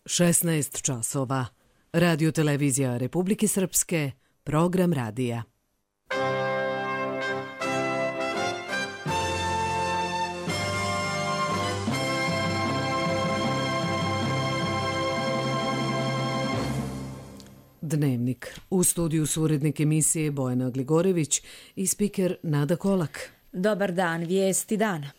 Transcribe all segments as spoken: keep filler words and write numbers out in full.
šesnaest časova. Radio televizija Republike Srpske, program radija. Dnevnik. U studiju su urednik emisije Bojana Gligorević i spiker Nada Kolak. Dobar dan, vijesti dana.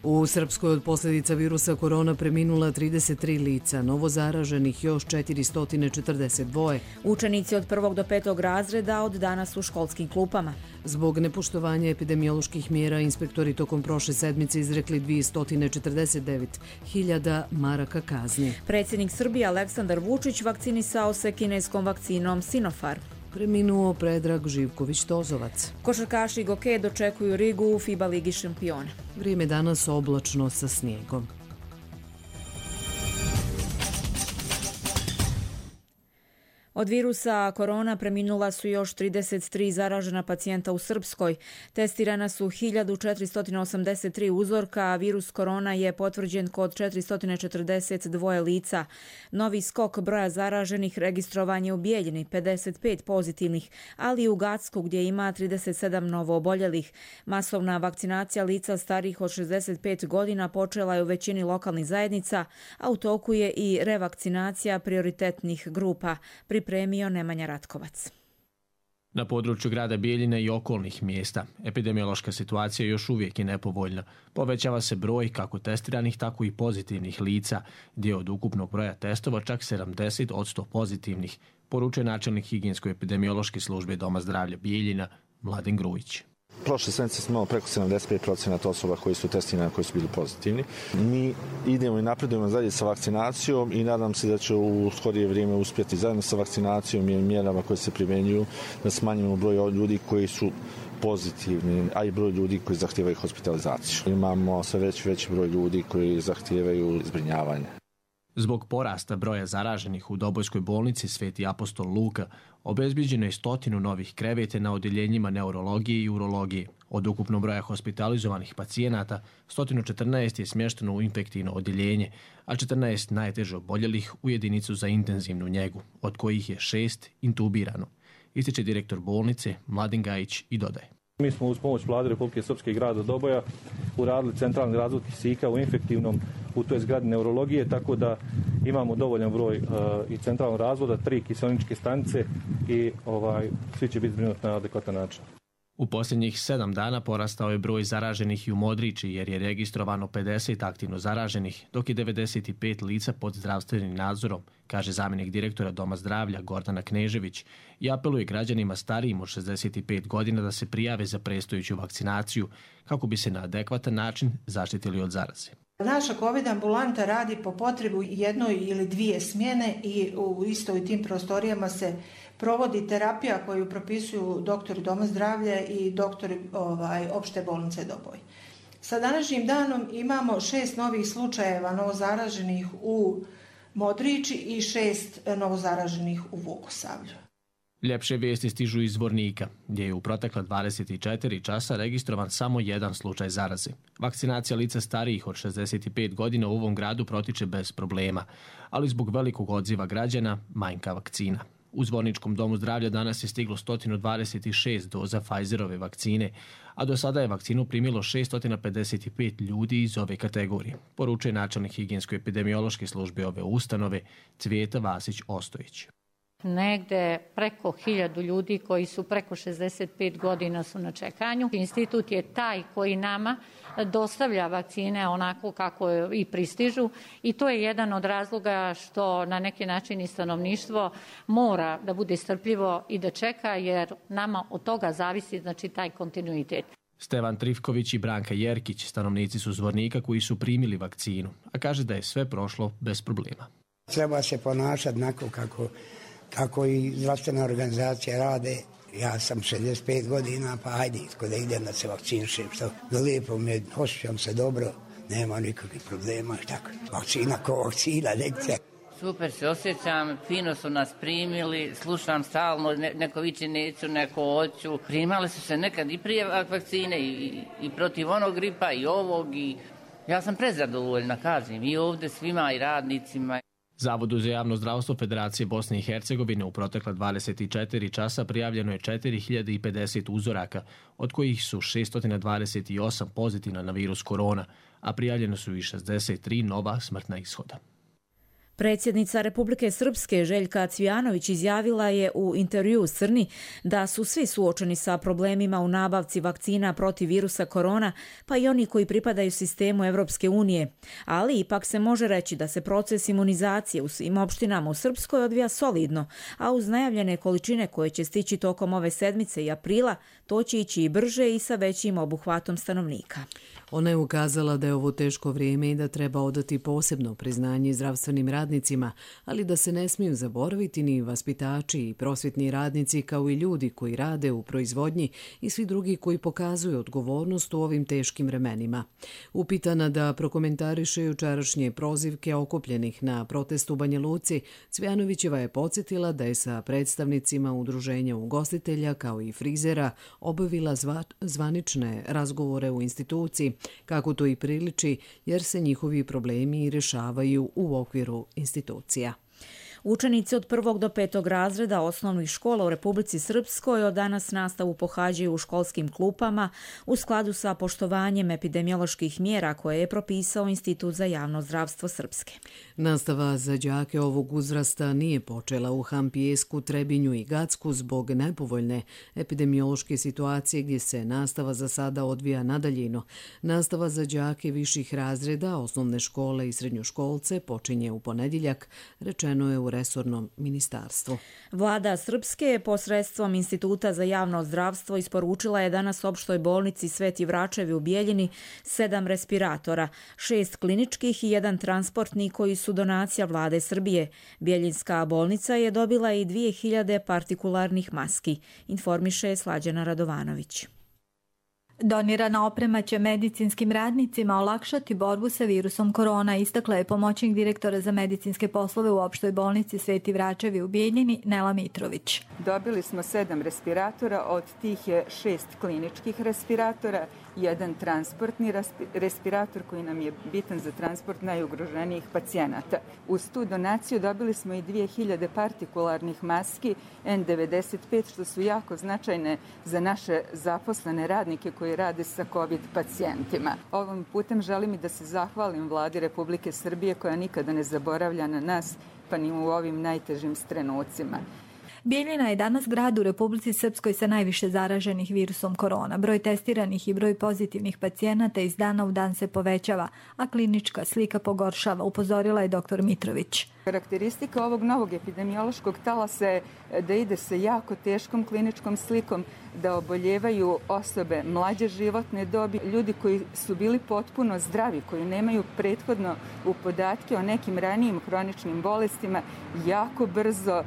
U Srpskoj od posljedica virusa korona preminula trideset tri lica, novo zaraženih još četiristo četrdeset dva. Učenici od prvog do petog razreda od danas u školskim klupama. Zbog nepoštovanja epidemioloških mjera inspektori tokom prošle sedmice izrekli dvjesto četrdeset devet hiljada maraka kazni. Predsjednik Srbije Aleksandar Vučić vakcinisao se kineskom vakcinom Sinopharm. Preminuo Predrag Živković-Tozovac. Košarkaši Goke dočekuju Rigu u FIBA Ligi šampiona. Vrijeme danas oblačno sa snijegom. Od virusa korona preminula su još trideset tri zaražena pacijenta u Srpskoj. Testirana su hiljadu četiristo osamdeset tri uzorka, a virus korona je potvrđen kod četiristo četrdeset dva lica. Novi skok broja zaraženih registrovan je u Bijeljini, pedeset pet pozitivnih, ali i u Gacku gdje ima trideset sedam novo oboljelih. Masovna vakcinacija lica starih od šezdeset pet godina počela je u većini lokalnih zajednica, a u toku je i revakcinacija prioritetnih grupa. Pripremio Nemanja Ratkovac. Na području grada Bijeljine i okolnih mjesta epidemiološka situacija još uvijek je nepovoljna. Povećava se broj kako testiranih, tako i pozitivnih lica, gdje od ukupnog broja testova čak sedamdeset posto pozitivnih, poručuje načelnik higijensko-epidemiološke službe Doma zdravlja Bijeljina Mladen Grujić. Prošle sedmice smo imali preko sedamdeset pet posto osoba koji su testirani, koji su bili pozitivni. Mi idemo i napredujemo dalje sa vakcinacijom i nadam se da će u skorije vrijeme uspjeti zajedno sa vakcinacijom i mjerama koje se primjenjuju da smanjimo broj ljudi koji su pozitivni, a i broj ljudi koji zahtijevaju hospitalizaciju. Imamo sve veći veći broj ljudi koji zahtijevaju zbrinjavanje. Zbog porasta broja zaraženih u Dobojskoj bolnici Sveti apostol Luka obezbiđeno je stotinu novih kreveta na odjeljenjima neurologije i urologije. Od ukupnog broja hospitalizovanih pacijenata, sto četrnaest je smješteno u infektivno odjeljenje, a četrnaest najteže oboljelih u jedinicu za intenzivnu njegu, od kojih je šest intubirano, ističe direktor bolnice Mladen Gajić i dodaje. Mi smo uz pomoć Vlade Republike Srpske i grada Doboja uradili centralni razvod kisika u infektivnom u toj zgradi neurologije, tako da imamo dovoljan broj uh, i centralnog razvoda, tri kiseoničke stanice i ovaj, svi će biti zbrinuti na adekvatan način. U posljednjih sedam dana porastao je broj zaraženih i u Modriči jer je registrovano pedeset aktivno zaraženih, dok je devedeset pet lica pod zdravstvenim nadzorom, kaže zamjenik direktora Doma zdravlja Gordana Knežević i apeluje građanima starijim od šezdeset pet godina da se prijave za predstojeću vakcinaciju kako bi se na adekvatan način zaštitili od zaraze. Naša COVID ambulanta radi po potrebu jednoj ili dvije smjene i u istoj tim prostorijama se provodi terapija koju propisuju doktori Doma zdravlja i doktori ovaj, opšte bolnice Doboj. Sa današnjim danom imamo šest novih slučajeva novozaraženih u Modriči i šest novozaraženih u Vukosavlju. Ljepše vijesti stižu iz Zvornika, gdje je u protekla dvadeset četiri časa registrovan samo jedan slučaj zaraze. Vakcinacija lica starijih od šezdeset pet godina u ovom gradu protiče bez problema, ali zbog velikog odziva građana manjka vakcina. U Zvorničkom domu zdravlja danas je stiglo sto dvadeset šest doza Pfizerove vakcine, a do sada je vakcinu primilo šesto pedeset pet ljudi iz ove kategorije, poručuje načelnik higijensko-epidemiološke službe ove ustanove Cvijeta Vasić-Ostojić. Negde preko hiljadu ljudi koji su preko šezdeset pet godina su na čekanju. Institut je taj koji nama dostavlja vakcine onako kako i pristižu i to je jedan od razloga što na neki način i stanovništvo mora da bude strpljivo i da čeka jer nama od toga zavisi znači taj kontinuitet. Stevan Trifković i Branka Jerkić, stanovnici su Zvornika koji su primili vakcinu, a kaže da je sve prošlo bez problema. Treba se ponašati onako kako kako i zdravstvene organizacije rade. Ja sam šezdeset pet godina, pa ajde, ko da idem da se vakcinišem, što da lijepo me, osjećam se dobro, nema nikakvih problema, tako. Vakcina ko vakcina, nekce. Super se osjećam, fino su nas primili, slušam stalno, ne, neko viče neću, neko hoću. Primali su se nekad i prije vakcine i, i protiv onog gripa i ovog i ja sam prezadovoljna, kažem, i ovdje svima i radnicima. Zavodu za javno zdravstvo Federacije Bosne i Hercegovine u protekla dvadeset četiri časa prijavljeno je četiri hiljade pedeset uzoraka, od kojih su šesto dvadeset osam pozitivna na virus korona, a prijavljeno su i šezdeset tri nova smrtna ishoda. Predsjednica Republike Srpske Željka Cvijanović izjavila je u intervjuu Crni da su svi suočeni sa problemima u nabavci vakcina protiv virusa korona, pa i oni koji pripadaju sistemu Evropske unije. Ali ipak se može reći da se proces imunizacije u svim opštinama u Srpskoj odvija solidno, a uz najavljene količine koje će stići tokom ove sedmice i aprila, to će ići i brže i sa većim obuhvatom stanovnika. Ona je ukazala da je ovo teško vrijeme i da treba odati posebno priznanje zdravstvenim radnicima, ali da se ne smiju zaboraviti ni vaspitači i prosvjetni radnici kao i ljudi koji rade u proizvodnji i svi drugi koji pokazuju odgovornost u ovim teškim vremenima. Upitana da prokomentariše jučerašnje prozivke okupljenih na protestu u Banja Luci, Cvijanovićeva je podsjetila da je sa predstavnicima udruženja ugostitelja kao i frizera obavila zva, zvanične razgovore u instituciji, kako to i priliči, jer se njihovi problemi rješavaju u okviru institucija. Učenici od prvog do petog razreda osnovnih škola u Republici Srpskoj od danas nastavu pohađaju u školskim klupama u skladu sa poštovanjem epidemioloških mjera koje je propisao Institut za javno zdravstvo Srpske. Nastava za đake ovog uzrasta nije počela u Hampijesku, Trebinju i Gacku zbog nepovoljne epidemiološke situacije gdje se nastava za sada odvija na daljinu. Nastava za đake viših razreda, osnovne škole i srednjoškolce počinje u ponedjeljak, rečeno je u resornom ministarstvu. Vlada Srpske je posredstvom Instituta za javno zdravstvo isporučila je danas opštoj bolnici Sveti Vračevi u Bijeljini sedam respiratora, šest kliničkih i jedan transportni koji su donacija vlade Srbije. Bijeljinska bolnica je dobila i dvije hiljade partikularnih maski, informiše Slađana Radovanović. Donirana oprema će medicinskim radnicima olakšati borbu sa virusom korona, istakla je pomoćnik direktora za medicinske poslove u opštoj bolnici Sveti Vračevi u Bijeljini Nela Mitrović. Dobili smo sedam respiratora, od tih je šest kliničkih respiratora, jedan transportni respirator koji nam je bitan za transport najugroženijih pacijenata. Uz tu donaciju dobili smo i dvije hiljade partikularnih maski en devedeset pet, što su jako značajne za naše zaposlene radnike koji rade sa COVID pacijentima. Ovim putem želim i da se zahvalim vladi Republike Srbije koja nikada ne zaboravlja na nas, pa ni u ovim najtežim trenucima. Bijeljina je danas grad u Republici Srpskoj sa najviše zaraženih virusom korona. Broj testiranih i broj pozitivnih pacijenata iz dana u dan se povećava, a klinička slika pogoršava, upozorila je doktor Mitrović. Karakteristika ovog novog epidemiološkog talasa je da ide sa jako teškom kliničkom slikom, da oboljevaju osobe mlađe životne dobi, ljudi koji su bili potpuno zdravi, koji nemaju prethodno u podatke o nekim ranijim hroničnim bolestima, jako brzo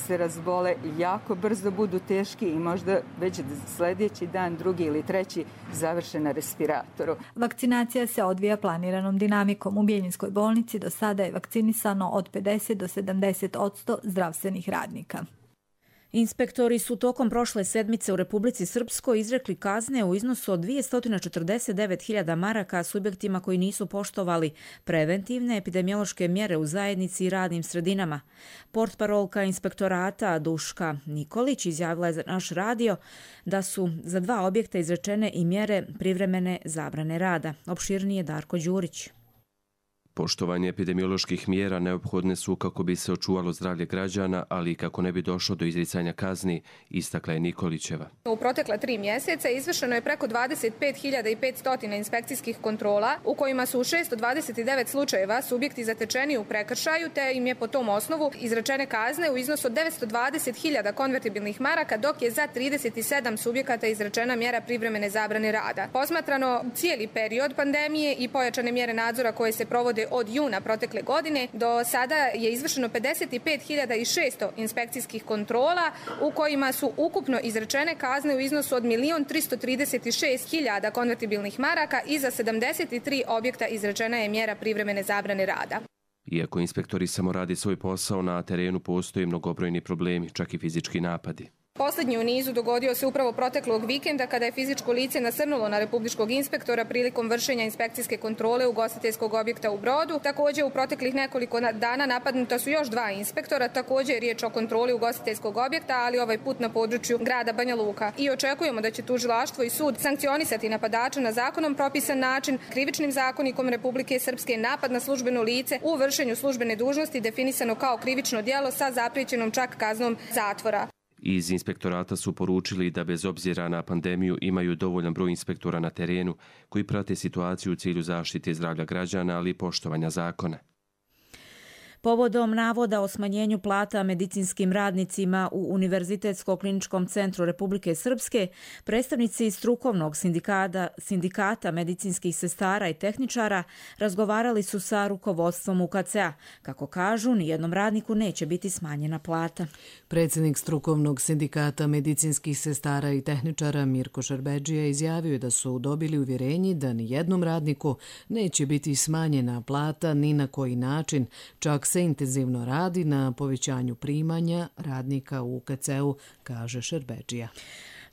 se razbole, jako brzo budu teški i možda već sljedeći dan, drugi ili treći, završe na respiratoru. Vakcinacija se odvija planiranom dinamikom. U Bijeljinskoj bolnici do sada je vakcinisano od pedeset do sedamdeset posto zdravstvenih radnika. Inspektori su tokom prošle sedmice u Republici Srpskoj izrekli kazne u iznosu od dvjesto četrdeset devet hiljada maraka subjektima koji nisu poštovali preventivne epidemiološke mjere u zajednici i radnim sredinama. Portparolka inspektorata Duška Nikolić izjavila je za naš radio da su za dva objekta izrečene i mjere privremene zabrane rada. Opširnije Darko Đurić. Poštovanje epidemioloških mjera neophodne su kako bi se očuvalo zdravlje građana, ali i kako ne bi došlo do izricanja kazni, istakla je Nikolićeva. U protekla tri mjeseca izvršeno je preko dvadeset pet hiljada petsto inspekcijskih kontrola, u kojima su u šesto dvadeset devet slučajeva subjekti zatečeni u prekršaju, te im je po tom osnovu izrečene kazne u iznosu od devetsto dvadeset hiljada konvertibilnih maraka, dok je za trideset sedam subjekata izrečena mjera privremene zabrane rada. Posmatrano cijeli period pandemije i pojačane mjere nadzora koje se provode od juna protekle godine, do sada je izvršeno pedeset pet hiljada šesto inspekcijskih kontrola, u kojima su ukupno izrečene kazne u iznosu od milion tristo trideset šest hiljada konvertibilnih maraka i za sedamdeset tri objekta izrečena je mjera privremene zabrane rada. Iako inspektori samo radi svoj posao, na terenu postoje mnogobrojni problemi, čak i fizički napadi. Poslednji u nizu dogodio se upravo proteklog vikenda kada je fizičko lice nasrnulo na republičkog inspektora prilikom vršenja inspekcijske kontrole ugostiteljskog objekta u Brodu. Također u proteklih nekoliko dana napadnuta su još dva inspektora, također je riječ o kontroli ugostiteljskog objekta, ali ovaj put na području grada Banja Luka. I očekujemo da će tužilaštvo i sud sankcionisati napadača na zakonom propisan način. Krivičnim zakonikom Republike Srpske napad na službeno lice u vršenju službene dužnosti definisano kao krivično djelo sa zapriječenom čak kaznom zatvora. Iz inspektorata su poručili da bez obzira na pandemiju imaju dovoljan broj inspektora na terenu koji prate situaciju u cilju zaštite zdravlja građana, ali i poštovanja zakona. Povodom navoda o smanjenju plata medicinskim radnicima u Univerzitetsko-kliničkom centru Republike Srpske, predstavnici strukovnog sindikata, sindikata medicinskih sestara i tehničara razgovarali su sa rukovodstvom U K C-a. Kako kažu, nijednom radniku neće biti smanjena plata. Predsjednik strukovnog sindikata medicinskih sestara i tehničara Mirko Šerbedžija izjavio da su dobili uvjerenje da nijednom radniku neće biti smanjena plata ni na koji način, čak se intenzivno radi na povećanju primanja radnika u U K C-u, kaže Šerbedžija.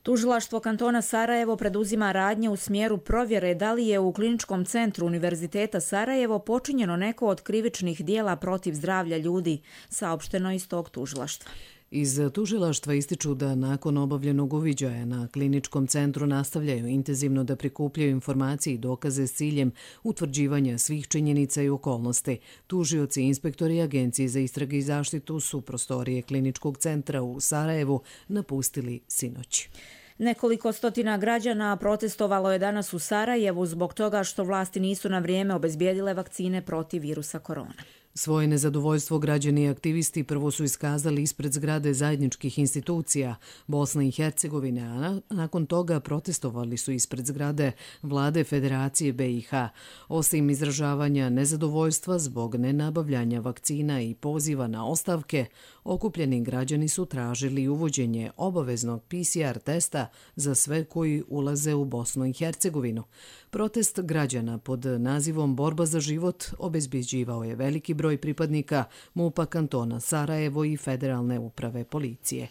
Tužilaštvo kantona Sarajevo preduzima radnje u smjeru provjere da li je u Kliničkom centru Univerziteta Sarajevo počinjeno neko od krivičnih dijela protiv zdravlja ljudi, saopšteno iz tog tužilaštva. Iz tužilaštva ističu da nakon obavljenog uviđaja na kliničkom centru nastavljaju intenzivno da prikupljaju informacije i dokaze s ciljem utvrđivanja svih činjenica i okolnosti. Tužioci, inspektori i agencije za istrage i zaštitu su prostorije kliničkog centra u Sarajevu napustili sinoć. Nekoliko stotina građana protestovalo je danas u Sarajevu zbog toga što vlasti nisu na vrijeme obezbijedile vakcine protiv virusa korona. Svoje nezadovoljstvo građani i aktivisti prvo su iskazali ispred zgrade zajedničkih institucija Bosne i Hercegovine, a nakon toga protestovali su ispred zgrade vlade Federacije B i H. Osim izražavanja nezadovoljstva zbog nenabavljanja vakcina i poziva na ostavke, okupljeni građani su tražili uvođenje obaveznog P C R testa za sve koji ulaze u Bosnu i Hercegovinu. Protest građana pod nazivom Borba za život obezbeđivao je veliki broj pripadnika MUP-a kantona Sarajevo i Federalne uprave policije.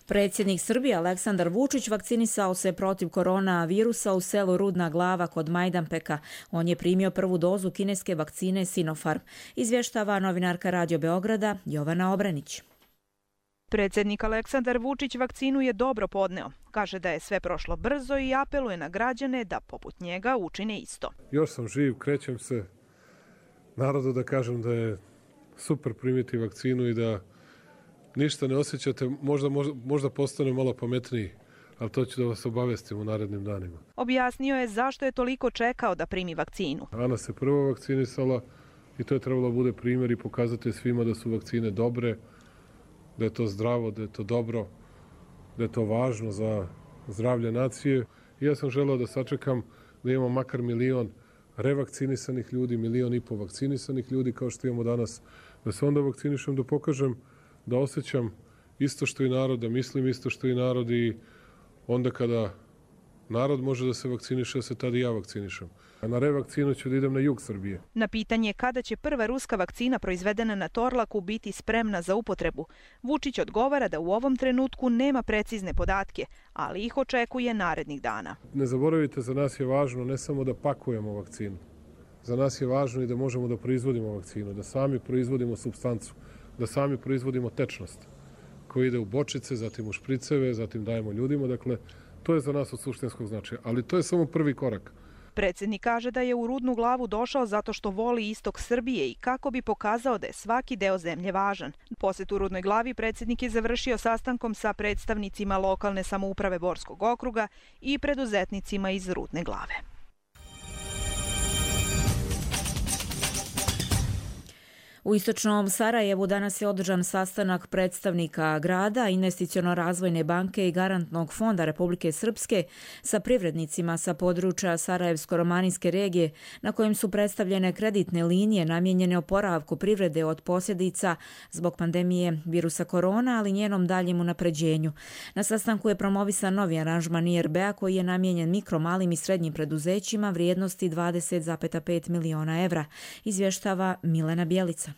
Predsjednik Srbije Aleksandar Vučić vakcinisao se protiv koronavirusa u selu Rudna Glava kod Majdanpeka. On je primio prvu dozu kineske vakcine Sinopharm. Izvještava novinarka Radio Beograda Jovana Obranić. Predsjednik Aleksandar Vučić vakcinu je dobro podneo. Kaže da je sve prošlo brzo i apeluje na građane da poput njega učine isto. Još sam živ, krećem se narodu da kažem da je super primiti vakcinu i da ništa ne osjećate, možda, možda, možda postane malo pametniji, ali to ću da vas obavestim u narednim danima. Objasnio je zašto je toliko čekao da primi vakcinu. Ana se prvo vakcinisala i to je trebalo da bude primjer i pokazati svima da su vakcine dobre, da je to zdravo, da je to dobro, da je to važno za zdravlje nacije. I ja sam želeo da sačekam da imamo makar milion revakcinisanih ljudi, milion i po vakcinisanih ljudi kao što imamo danas, da se onda vakcinišem, da pokažem da osjećam isto što i narod, da mislim isto što i narod i onda kada narod može da se vakciniše, da se tada i ja vakcinišem. A na revakcinu ću da idem na jug Srbije. Na pitanje kada će prva ruska vakcina proizvedena na Torlaku biti spremna za upotrebu, Vučić odgovara da u ovom trenutku nema precizne podatke, ali ih očekuje narednih dana. Ne zaboravite, za nas je važno ne samo da pakujemo vakcinu. Za nas je važno i da možemo da proizvodimo vakcinu, da sami proizvodimo supstancu, da sami proizvodimo tečnost koja ide u bočice, zatim u špriceve, zatim dajemo ljudima. Dakle, to je za nas od suštinskog značaja, ali to je samo prvi korak. Predsjednik kaže da je u Rudnu Glavu došao zato što voli istok Srbije i kako bi pokazao da je svaki deo zemlje važan. Posjet u Rudnoj Glavi predsjednik je završio sastankom sa predstavnicima lokalne samouprave Borskog okruga i preduzetnicima iz Rudne Glave. U istočnom Sarajevu danas je održan sastanak predstavnika grada, Investiciono-razvojne banke i Garantnog fonda Republike Srpske sa privrednicima sa područja Sarajevsko-romanijske regije, na kojem su predstavljene kreditne linije namijenjene oporavku privrede od posljedica zbog pandemije virusa korona, ali njenom daljem unapređenju. Na sastanku je promovisan novi aranžman I R B-a koji je namijenjen mikro, malim i srednjim preduzećima vrijednosti dvadeset zarez pet miliona evra, izvještava Milena Bjelica.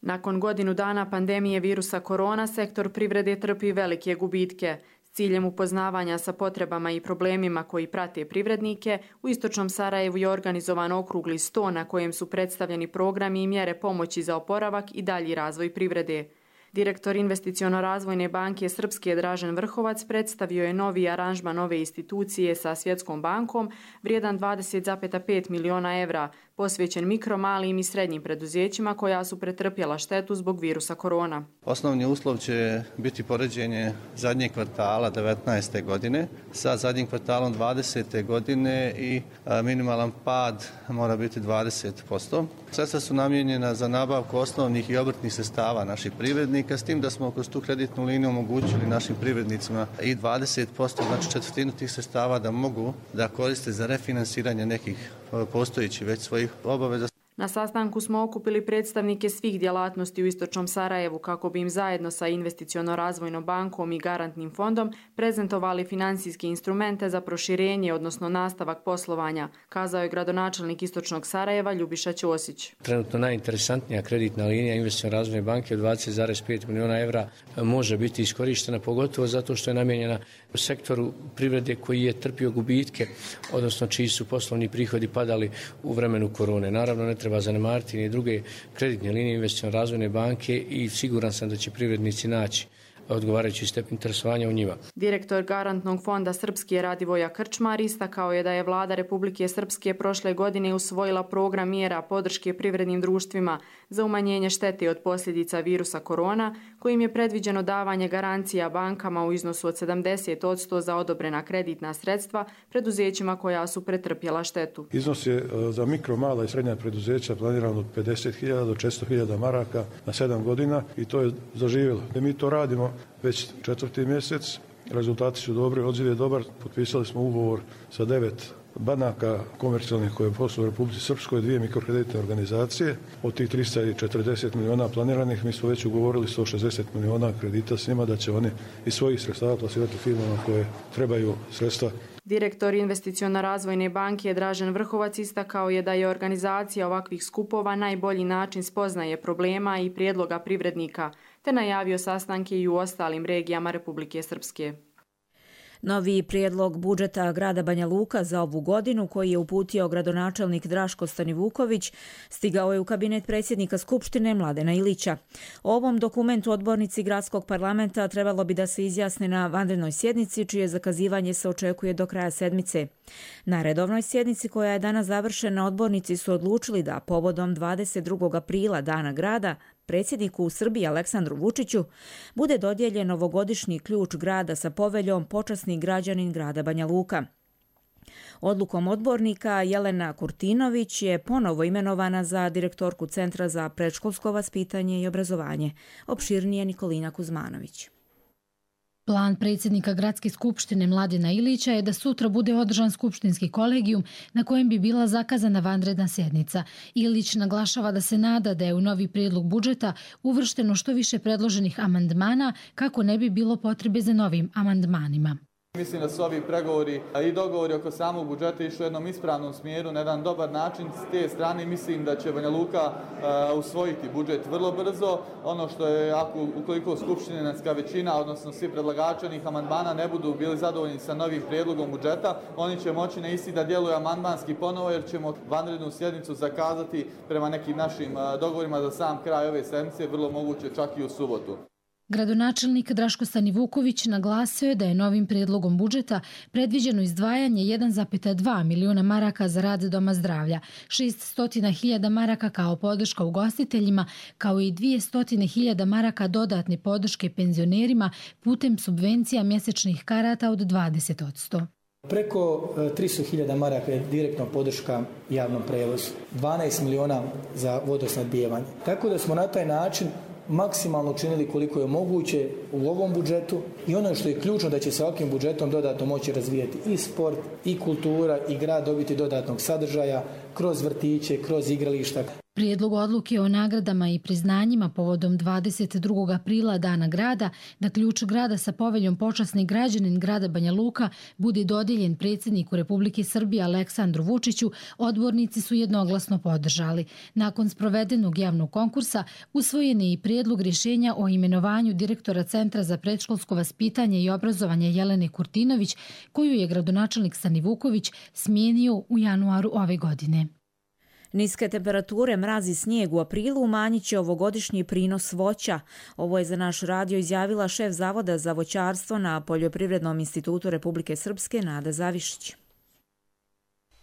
Nakon godinu dana pandemije virusa korona, sektor privrede trpi velike gubitke. S ciljem upoznavanja sa potrebama i problemima koji prate privrednike, u istočnom Sarajevu je organizovan okrugli sto na kojem su predstavljeni programi i mjere pomoći za oporavak i dalji razvoj privrede. Direktor Investiciono-razvojne banke Srpske Dražen Vrhovac predstavio je novi aranžman ove institucije sa Svjetskom bankom vrijedan dvadeset zarez pet miliona evra, posvećen mikro, malim i srednjim preduzećima koja su pretrpjela štetu zbog virusa korona. Osnovni uslov će biti poređenje zadnjeg kvartala devetnaeste godine sa zadnjim kvartalom dvadesete godine i minimalan pad mora biti dvadeset posto. Sredstva su namijenjena za nabavku osnovnih i obrtnih sredstava naših privrednika, s tim da smo kroz tu kreditnu liniju omogućili našim privrednicima i dvadeset posto, znači četvrtinu tih sredstava da mogu da koriste za refinansiranje nekih postojećih već svojih obaveza. Na sastanku smo okupili predstavnike svih djelatnosti u istočnom Sarajevu kako bi im zajedno sa Investiciono-razvojnom bankom i garantnim fondom prezentovali financijske instrumente za proširenje, odnosno nastavak poslovanja, kazao je gradonačelnik istočnog Sarajeva Ljubiša Ćosić. Trenutno najinteresantnija kreditna linija Investiciono-razvojne banke od dvadeset zarez pet miliona evra može biti iskorištena, pogotovo zato što je namijenjena u sektoru privrede koji je trpio gubitke, odnosno čiji su poslovni prihodi padali u vremenu korone. Naravno, ne treba zanemariti ni druge kreditne linije Investiciono-razvojne banke i siguran sam da će privrednici naći odgovarajući stepen interesovanja u njima. Direktor garantnog fonda Srpske Radivoja Krčmar istakao je da je vlada Republike Srpske prošle godine usvojila program mjera podrške privrednim društvima za umanjenje štete od posljedica virusa korona, kojim je predviđeno davanje garancija bankama u iznosu od sedamdeset posto za odobrena kreditna sredstva preduzećima koja su pretrpjela štetu. Iznos je za mikro, mala i srednja preduzeća planiran od pedeset hiljada do četiristo hiljada maraka na sedam godina i to je zaživjelo. Mi to radimo već četvrti mjesec, rezultati su dobri, odziv je dobar, potpisali smo ugovor sa devet banaka komercijalnih koje posluju u Republici Srpskoj, dvije mikrokreditne organizacije. Od tih trista četrdeset miliona planiranih mi smo već ugovorili sto šezdeset miliona kredita s njima da će oni iz svojih sredstava plasirati firmama koje trebaju sredstva. Direktor Investiciono-razvojne banke Dražen Vrhovac istakao je da je organizacija ovakvih skupova najbolji način spoznaje problema i prijedloga privrednika, te najavio sastanke i u ostalim regijama Republike Srpske. Novi prijedlog budžeta grada Banja Luka za ovu godinu, koji je uputio gradonačelnik Draško Stanivuković, stigao je u kabinet predsjednika Skupštine Mladena Ilića. O ovom dokumentu odbornici gradskog parlamenta trebalo bi da se izjasne na vanrednoj sjednici, čije zakazivanje se očekuje do kraja sedmice. Na redovnoj sjednici, koja je danas završena, odbornici su odlučili da povodom dvadeset drugog aprila, Dana grada, predsjedniku u Srbiji Aleksandru Vučiću bude dodijeljen novogodišnji ključ grada sa poveljom počasni građanin grada Banja Luka. Odlukom odbornika Jelena Kurtinović je ponovo imenovana za direktorku Centra za predškolsko vaspitanje i obrazovanje. Opširnije Nikolina Kuzmanović. Plan predsjednika Gradske skupštine Mladena Ilića je da sutra bude održan skupštinski kolegijum na kojem bi bila zakazana vanredna sjednica. Ilić naglašava da se nada da je u novi prijedlog budžeta uvršteno što više predloženih amandmana kako ne bi bilo potrebe za novim amandmanima. Mislim da su ovi pregovori i dogovori oko samog budžeta išli u jednom ispravnom smjeru, na jedan dobar način. S te strane mislim da će Banja Luka uh, usvojiti budžet vrlo brzo. Ono što je, ako, ukoliko skupštinska većina, odnosno svi predlagači onih amandmana ne budu bili zadovoljni sa novim prijedlogom budžeta, oni će moći na isti da djeluju amandmanski ponovo, jer ćemo vanrednu sjednicu zakazati prema nekim našim uh, dogovorima za sam kraj ove sedmice, vrlo moguće čak i u subotu. Gradonačelnik Draško Stanivuković naglasio je da je novim prijedlogom budžeta predviđeno izdvajanje jedan zarez dva miliona maraka za rad Doma zdravlja, šesnaest hiljada maraka kao podrška ugostiteljima, kao i dvjesto hiljada maraka dodatne podrške penzionerima putem subvencija mjesečnih karata od dvadeset posto. Preko tristo hiljada maraka je direktno podrška javnom prevozu, dvanaest miliona za vodosnadbijevanje. Tako da smo na taj način maksimalno učinili koliko je moguće u ovom budžetu i ono što je ključno da će se ovakvim budžetom dodatno moći razvijati i sport, i kultura, i grad dobiti dodatnog sadržaja kroz vrtiće, kroz igrališta. Prijedlog odluke o nagradama i priznanjima povodom dvadeset drugog aprila Dana grada, da ključ grada sa poveljom počasni građanin grada Banja Luka bude dodijeljen predsjedniku Republike Srbije Aleksandru Vučiću, odbornici su jednoglasno podržali. Nakon sprovedenog javnog konkursa usvojen je i prijedlog rješenja o imenovanju direktora Centra za predškolsko vaspitanje i obrazovanje Jelene Kurtinović, koju je gradonačelnik Sani Vuković smijenio u januaru ove godine. Niske temperature, mraz i snijeg u aprilu umanjit će ovogodišnji prinos voća. Ovo je za naš radio izjavila šef Zavoda za voćarstvo na Poljoprivrednom institutu Republike Srpske Nada Zavišić.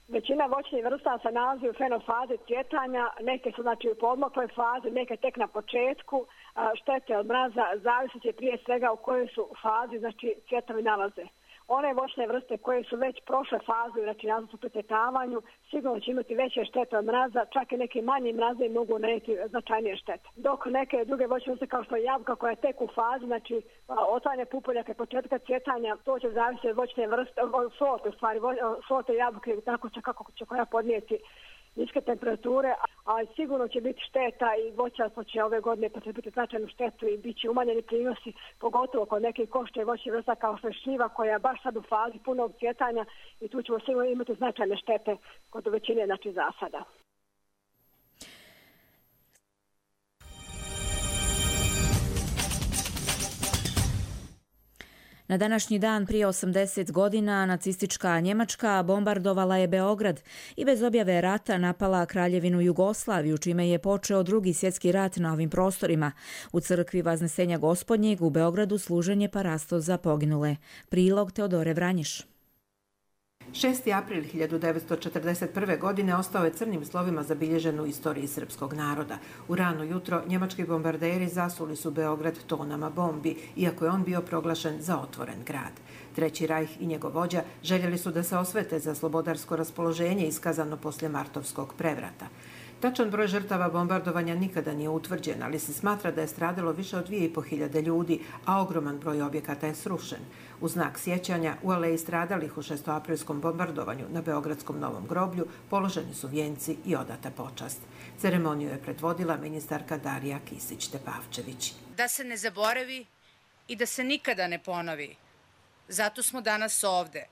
Većina voćnih vrsta se nalazi u fenofazi cvjetanja, neke su znači u podmokloj fazi, neke tek na početku. Štete od mraza zavisit će prije svega u kojoj su fazi znači cvjetovi nalaze. One voćne vrste koje su već prošle fazu, znači nazad su precvjetavanju, sigurno će imati veće štete od mraza, čak i neki manji mraze mogu nanijeti značajnije štete. Dok neke druge voćne vrste kao što je jabuka koja je tek u fazi, znači otvaranje pupoljaka i početka cvjetanja, to će zavisiti od voćne vrste, od sorte, u stvari, sorte jabuke, tako će kako će koja podnijeti niske temperature, ali sigurno će biti šteta i voćarstvo će ove godine potrebiti značajnu štetu i bit će umanjeni prinosi, pogotovo kod nekih košta i voćnih vrsta kao što je šljiva koja je baš sad u fazi punog cvjetanja i tu ćemo sigurno imati značajne štete kod većine znači zasada. Na današnji dan prije osamdeset godina nacistička Njemačka bombardovala je Beograd i bez objave rata napala Kraljevinu Jugoslaviju, čime je počeo drugi svjetski rat na ovim prostorima. U crkvi Vaznesenja Gospodnjeg u Beogradu služen je parasto za poginule. Prilog Teodore Vranješ. šesti april hiljadu devetsto četrdeset prve. godine ostao je crnim slovima zabilježen u istoriji srpskog naroda. U rano jutro njemački bombarderi zasuli su Beograd tonama bombi, iako je on bio proglašen za otvoren grad. Treći rajh i njegov vođa željeli su da se osvete za slobodarsko raspoloženje iskazano poslije martovskog prevrata. Tačan broj žrtava bombardovanja nikada nije utvrđen, ali se smatra da je stradalo više od dvije i po hiljade ljudi, a ogroman broj objekata je srušen. U znak sjećanja u aleji stradalih u šestoaprilskom bombardovanju na Beogradskom Novom groblju položeni su vijenci i odata počast. Ceremoniju je predvodila ministarka Darija Kisić-Tepavčević. Da se ne zaboravi i da se nikada ne ponovi. Zato smo danas ovde,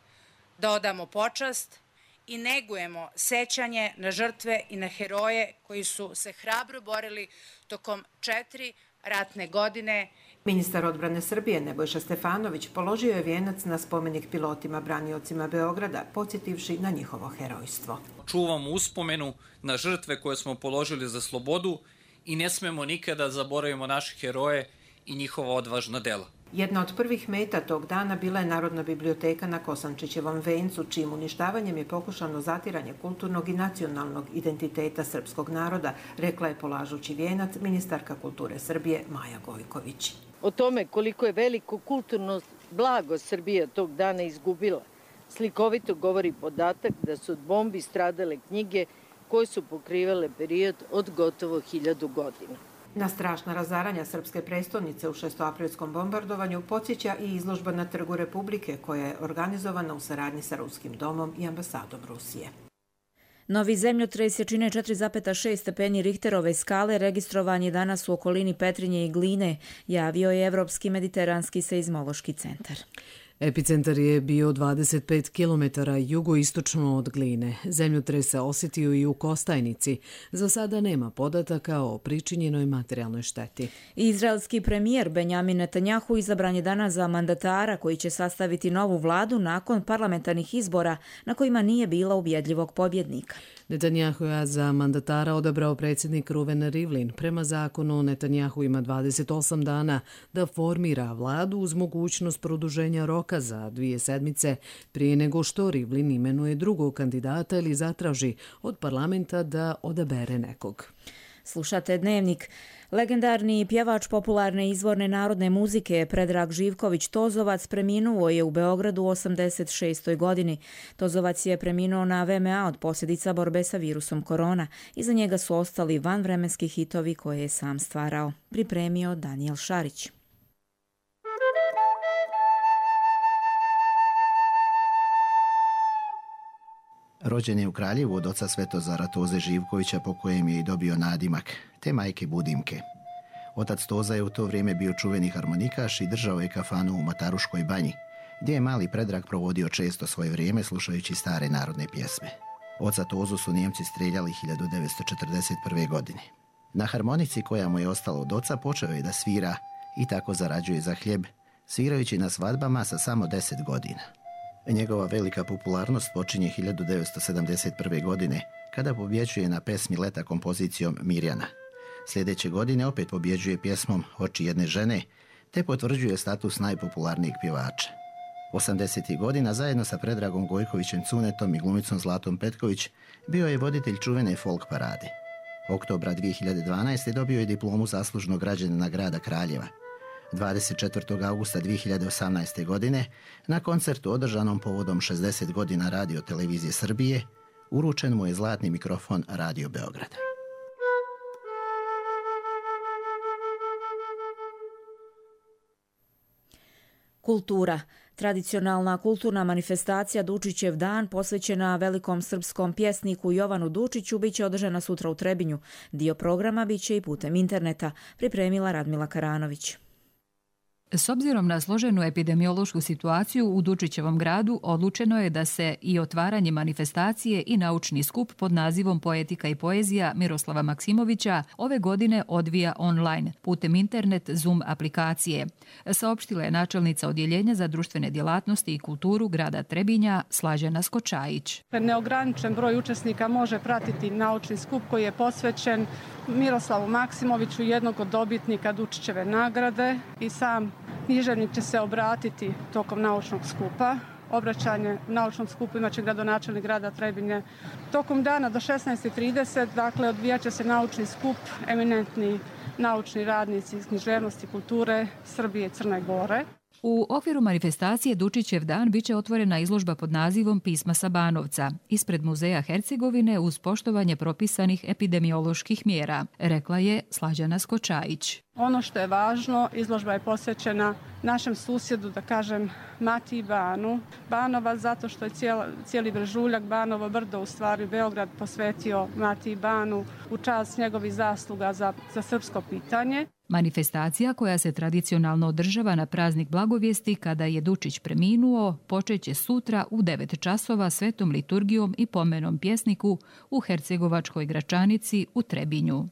da odamo počast i negujemo sećanje na žrtve i na heroje koji su se hrabro borili tokom četiri ratne godine. Ministar odbrane Srbije Nebojša Stefanović položio je vijenac na spomenik pilotima braniocima Beograda, podsjetivši na njihovo herojstvo. Čuvamo uspomenu na žrtve koje smo položili za slobodu i ne smemo nikada zaboravimo naše heroje i njihova odvažna dela. Jedna od prvih meta tog dana bila je Narodna biblioteka na Kosančićevom vencu, čijim uništavanjem je pokušano zatiranje kulturnog i nacionalnog identiteta srpskog naroda, rekla je polažući vijenac ministarka kulture Srbije Maja Gojković. O tome koliko je veliko kulturno blago Srbija tog dana izgubila, slikovito govori podatak da su od bombi stradale knjige koje su pokrivale period od gotovo hiljadu godina. Na strašna razaranja srpske prestolnice u šestoaprilskom bombardovanju podsjeća i izložba na Trgu Republike koja je organizovana u saradnji sa Ruskim domom i ambasadom Rusije. Novi zemljotres jačine četiri zarez šest stepeni Richterove skale registrovan je danas u okolini Petrinje i Gline, javio je Evropski mediteranski seizmološki centar. Epicentar je bio dvadeset pet kilometara jugoistočno od Gline. Zemljotres se osjetio i u Kostajnici. Za sada nema podataka o pričinjenoj materijalnoj šteti. Izraelski premijer Benjamin Netanjahu izabran je danas za mandatara koji će sastaviti novu vladu nakon parlamentarnih izbora na kojima nije bilo ubjedljivog pobjednika. Netanjahu je za mandatara odabrao predsjednik Ruven Rivlin. Prema zakonu Netanjahu ima dvadeset osam dana da formira vladu uz mogućnost produženja roka za dvije sedmice prije nego što Rivlin imenuje drugog kandidata ili zatraži od parlamenta da odabere nekog. Slušate Dnevnik. Legendarni pjevač popularne izvorne narodne muzike Predrag Živković Tozovac preminuo je u Beogradu u osamdeset šestoj godini. Tozovac je preminuo na V M A od posljedica borbe sa virusom korona. Iza njega su ostali vanvremenski hitovi koje je sam stvarao. Pripremio Daniel Šarić. Rođen je u Kraljevu od oca Svetozara Toze Živkovića, po kojem je i dobio nadimak, te majke Budimke. Otac Toza je u to vrijeme bio čuveni harmonikaš i držao je kafanu u Mataruškoj banji, gdje je mali Predrag provodio često svoje vrijeme slušajući stare narodne pjesme. Oca Tozu su Nijemci strijeljali hiljadu devetsto četrdeset prve. godine. Na harmonici koja mu je ostala od oca počeo je da svira i tako zarađuje za hljeb, svirajući na svadbama sa samo deset godina. Njegova velika popularnost počinje hiljadu devetsto sedamdeset prve. godine, kada pobjeđuje na pesmi Leta kompozicijom Mirjana. Sljedeće godine opet pobjeđuje pjesmom Oči jedne žene, te potvrđuje status najpopularnijeg pjevača. osamdesetih godina zajedno sa Predragom Gojkovićem Cunetom i glumicom Zlatom Petković bio je voditelj čuvene folk parade. Oktobra dvije hiljade dvanaeste. dobio je diplomu zaslužnog građanina grada Kraljeva. dvadeset četvrtog augusta dvije hiljade osamnaeste. godine, na koncertu održanom povodom šezdeset godina Radio televizije Srbije, uručen mu je zlatni mikrofon Radio Beograda. Kultura. Tradicionalna kulturna manifestacija Dučićev dan posvećena velikom srpskom pjesniku Jovanu Dučiću biće održana sutra u Trebinju. Dio programa biće i putem interneta, pripremila Radmila Karanović. S obzirom na složenu epidemiološku situaciju u Dučićevom gradu, odlučeno je da se i otvaranje manifestacije i naučni skup pod nazivom Poetika i poezija Miroslava Maksimovića ove godine odvija online, putem internet Zoom aplikacije, saopštila je načelnica Odjeljenja za društvene djelatnosti i kulturu grada Trebinja Slađana Skočajić. Neograničen broj učesnika može pratiti naučni skup koji je posvećen Miroslavu Maksimoviću, jednog od dobitnika Dučićeve nagrade, i sam književnik će se obratiti tokom naučnog skupa. Obraćanje u naučnom skupu imaće gradonačelnik grada Trebinje. Tokom dana do šesnaest i trideset, dakle, odvijat će se naučni skup, eminentni naučni radnici iz književnosti, kulture Srbije i Crne Gore. U okviru manifestacije Dučićev dan biće otvorena izložba pod nazivom Pisma sa Banovca ispred Muzeja Hercegovine uz poštovanje propisanih epidemioloških mjera, rekla je Slađana Skočajić. Ono što je važno, izložba je posvećena našem susjedu, da kažem, Matiji Banu. Banova zato što je cijeli, cijeli Brežuljak, Banovo brdo, u stvari Beograd, posvetio Matiji Banu u čast njegovih zasluga za, za srpsko pitanje. Manifestacija, koja se tradicionalno održava na praznik Blagovijesti kada je Dučić preminuo, počeće sutra u devet časova svetom liturgijom i pomenom pjesniku u Hercegovačkoj Gračanici u Trebinju.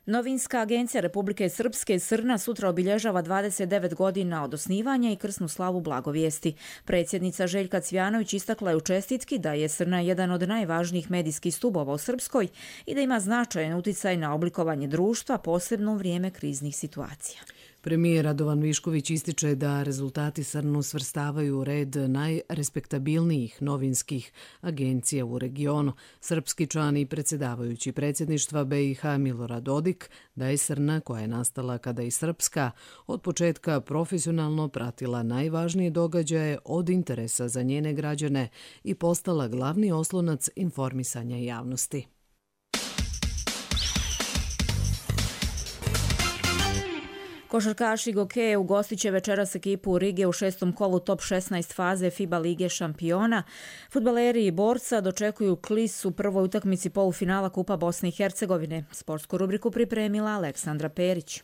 Novinska agencija Republike Srpske Srna sutra obilježava dvadeset devet godina od osnivanja i krsnu slavu Blagovijesti. Predsjednica Željka Cvjanović istakla je u čestitki da je Srna jedan od najvažnijih medijskih stubova u Srpskoj i da ima značajan uticaj na oblikovanje društva, posebno u vrijeme kriznih situacija. Premijer Radovan Višković ističe da rezultati Srnu svrstavaju u red najrespektabilnijih novinskih agencija u regionu. Srpski član i predsjedavajući predsjedništva B i H Milorad Dodik da je Srna, koja je nastala kada i Srpska, od početka profesionalno pratila najvažnije događaje od interesa za njene građane i postala glavni oslonac informisanja javnosti. Košarkaši Gokeje ugostit će večeras ekipu Rige u šestom kolu top šesnaest faze FIBA Lige šampiona. Fudbaleri i Borca dočekuju Klis u prvoj utakmici polufinala Kupa Bosne i Hercegovine. Sportsku rubriku pripremila Aleksandra Perić.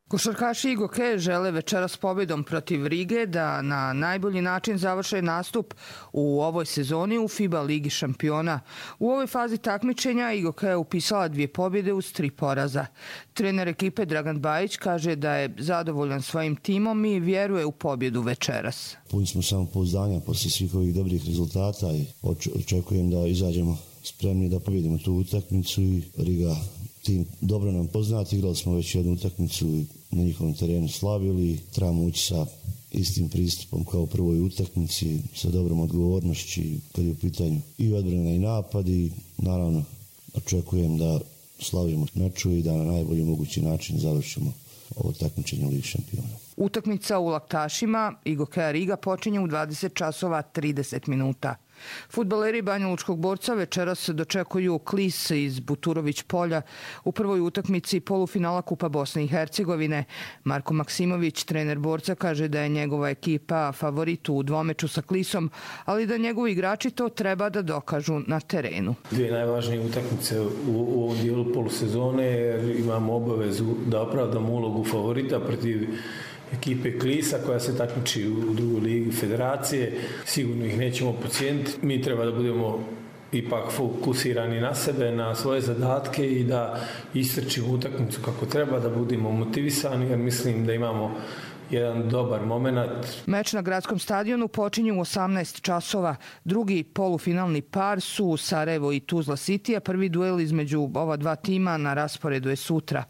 Košarkaši Gokeje žele večeras pobjedom protiv Rige da na najbolji način završe nastup u ovoj sezoni u FIBA Ligi šampiona. U ovoj fazi takmičenja Gokeja je upisala dvije pobjede uz tri poraza. Trener ekipe Dragan Bajić kaže da je zadovoljan svojim timom i vjeruje u pobjedu večeras. Puni smo samopouzdanja poslije svih ovih dobrih rezultata i očekujem da izađemo spremni da pobjedimo tu utakmicu i Riga tim dobro nam poznati. Igrali smo već jednu utakmicu i na njihovom terenu slavili. Trebamo ući sa istim pristupom kao u prvoj utakmici, sa dobrom odgovornošću kad je u pitanju i odbrana i napad i naravno očekujem da slavimo meču i da na najbolji mogući način završimo ovo takmičenje u Ligi šampiona. Utakmica u Laktašima i Gokeja Riga počinje u dvadeset časova trideset minuta. Fudbaleri Banjalučkog Borca večeras se dočekuju Klis iz Buturović polja u prvoj utakmici polufinala Kupa Bosne i Hercegovine. Marko Maksimović, trener Borca, kaže da je njegova ekipa favorit u dvomeču sa Klisom, ali da njegovi igrači to treba da dokažu na terenu. Dvije najvažnije utakmice u, u ovom dijelu polusezone, jer imamo obavezu da opravdamo ulogu favorita protiv ekipe Klisa koja se takmiči u drugoj ligi federacije. Sigurno ih nećemo podcijeniti. Mi treba da budemo ipak fokusirani na sebe, na svoje zadatke i da istrčimo utakmicu kako treba, da budemo motivisani, jer mislim da imamo jedan dobar moment. Meč na gradskom stadionu počinje u osamnaest časova. Drugi polufinalni par su Sarajevo i Tuzla City, a prvi duel između ova dva tima na rasporedu je sutra.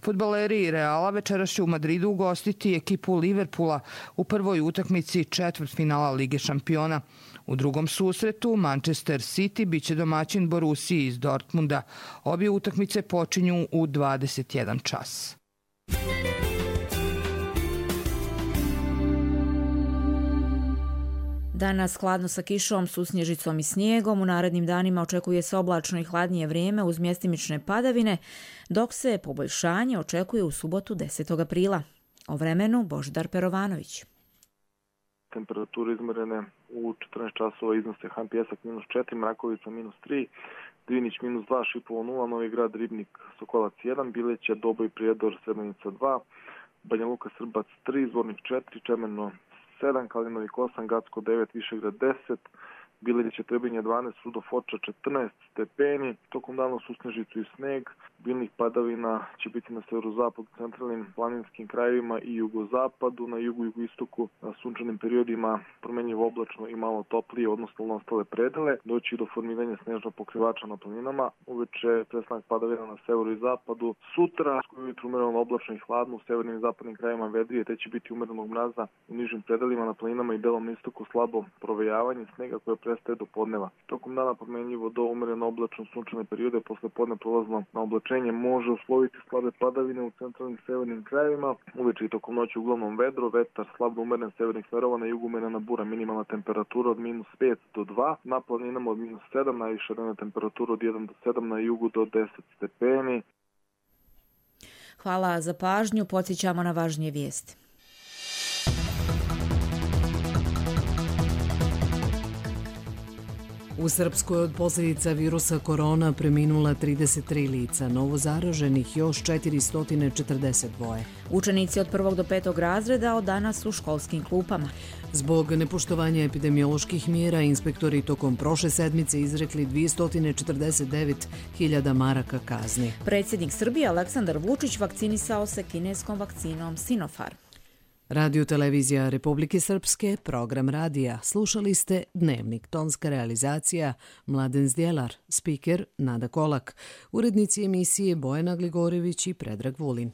Fudbaleri Reala večeras će u Madridu ugostiti ekipu Liverpoola u prvoj utakmici četvrtfinala Lige šampiona. U drugom susretu Manchester City biće domaćin Borussiji iz Dortmunda. Obje utakmice počinju u dvadeset jedan čas. Danas hladno sa kišom, susnježicom i snijegom. U narednim danima očekuje se oblačno i hladnije vrijeme uz mjestimične padavine, dok se poboljšanje očekuje u subotu desetog aprila. O vremenu Božidar Perovanović. Temperature izmerene u četrnaest časova iznose Han Pjesak minus četiri, Mrakovica minus tri, Drinić minus dva, Šipovo nula, Novi Grad, Ribnik, Sokolac jedan, Bileća, Doboj, Prijedor, Srebrenica dva, Banja Luka, Srbac tri, Zvornik četiri, Čemerno sedam, Kalinovik osam, Gacko devet, Višegrad deset, Biljeće, Trebinje dvanaest, Rudo Foča četrnaest stepeni, tokom dana susnežicu i sneg, biljnih padavina će biti na severozapadu, centralnim planinskim krajevima i jugozapadu, na jugu i jugoistoku na sunčanim periodima promenljivo oblačno i malo toplije, odnosno na ostale predele, doći do formiranja snežnog pokrivača na planinama, uveče prestanak padavina na severu i zapadu, sutra ujutru umereno oblačno i hladno, u severnim i zapadnim krajevima vedrije, te će biti umerenog mraza u nižim predelima na planinama i delom istoku slabo provejavanje snega koje prestaje do podneva. Tokom dana promenljivo do umereno oblačno sunčane periode, posle podne prolazno na oblačenje može usloviti slabe padavine u centralnim severnim krajevima. Uveče i tokom noći uglavnom vedro, vetar slabo umeren severnih smerova, na jugu umerena bura, minimalna temperatura od minus pet do dva, na planinama od minus sedam, najviša dnevna temperatura od jedan do sedam, na jugu do deset stepeni. Hvala za pažnju, podsjećamo na važnije vijesti. U Srpskoj od posljedica virusa korona preminula trideset tri lica, novo zaraženih još četiristo četrdeset dva. Učenici od prvog do petog razreda od danas u školskim klupama. Zbog nepoštovanja epidemioloških mjera, inspektori tokom prošle sedmice izrekli dvjesto četrdeset devet hiljada maraka kazni. Predsjednik Srbije Aleksandar Vučić vakcinisao se kineskom vakcinom Sinopharm. Radio televizija Republike Srpske, program radija. Slušali ste Dnevnik, tonska realizacija Mladen Zdjelar, spiker Nada Kolak, urednici emisije Bojana Gligorević i Predrag Vulin.